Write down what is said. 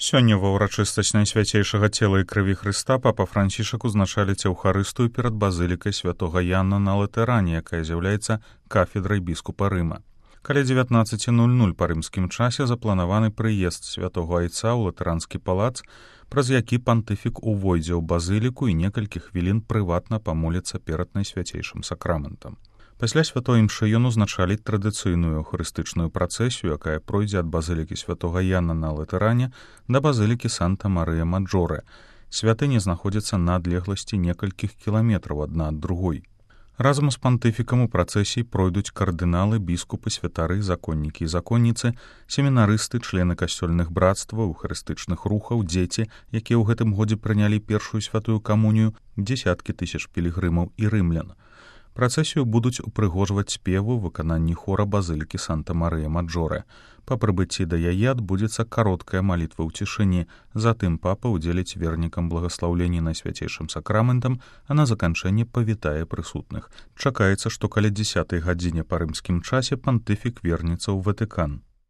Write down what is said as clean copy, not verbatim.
Сёння ва ўрачыстасць Найсвяцейшага цела і крыві Хрыста папа Францішак узначаліць еўхарыстыю перад базылікай святога Яна на Латэране, якая з'яўляецца кафедрай біскупа Рыма. Каля 19:00 па рымскім часе запланаваны прыезд святого айца ў латэранскі палац, праз які пантыфік увойдзе ў базыліку і некалькі хвілін прыватна памоліцца перад Найсвяцейшым сакраментам. Пасля святой імшы ён узначаліць традыцыйную эўхарыстычную працэсію, якая пройдзе ад базылікі святога Яна на Латэране да базылікі Санта-Марыя-Маджорэ. Святыні знаходзяцца на адлегласці некалькіх кіламетраў адна ад другой. Разам з пантыфікам у працэсіі пройдуць кардыналы, біскупы, святары, законнікі і законніцы, семінарысты, члены касцёльных братстваў, эўхарыстычных рухаў, дзеці, якія ў гэтым годзе прынялі першую святую камунію, дзесяткі тысяч пілігрымаў і рымлян. Працэсію будуць упрыгожваць спеву ў выкананні хора базылікі Санта-Марыя-Маджорэ. Па прыбыцці да яе адбудзецца кароткая малітва ў цішыні, затым папа ўдзеліць вернікам благаслаўленні Найсвяцейшым сакраментам, а на заканчэнне павітае прысутных. Чакаецца, што каля 10:00 па рымскім часе пантыфік вернецца ў Ватыкан.